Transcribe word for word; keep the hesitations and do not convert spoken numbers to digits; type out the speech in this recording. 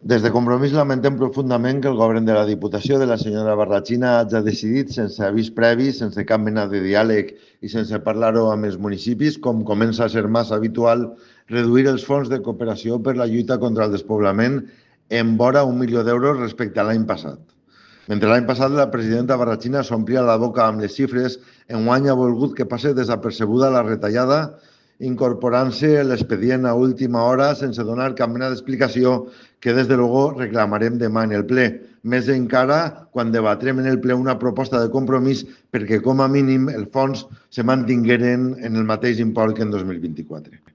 Des de Compromís lamentem profundament que el govern de la Diputació de la senyora Barrachina hagi decidit, sense avís previ, sense cap mena de diàleg i sense parlar-ho amb els municipis, com comença a ser massa habitual, reduir els fons de cooperació per la lluita contra el despoblament en vora un milió d'euros respecte a l'any passat. Mentre l'any passat la presidenta Barrachina s'omplia la boca amb les xifres, enguany ha volgut que passe desapercebuda la retallada, incorporant-se l'expedient a última hora sense donar cap mena d'explicació que des de luego reclamarem demà en el ple. Més encara quan debatrem en el ple una proposta de compromís perquè com a mínim els fons se mantingueren en el mateix import que en dos mil vint-i-quatre.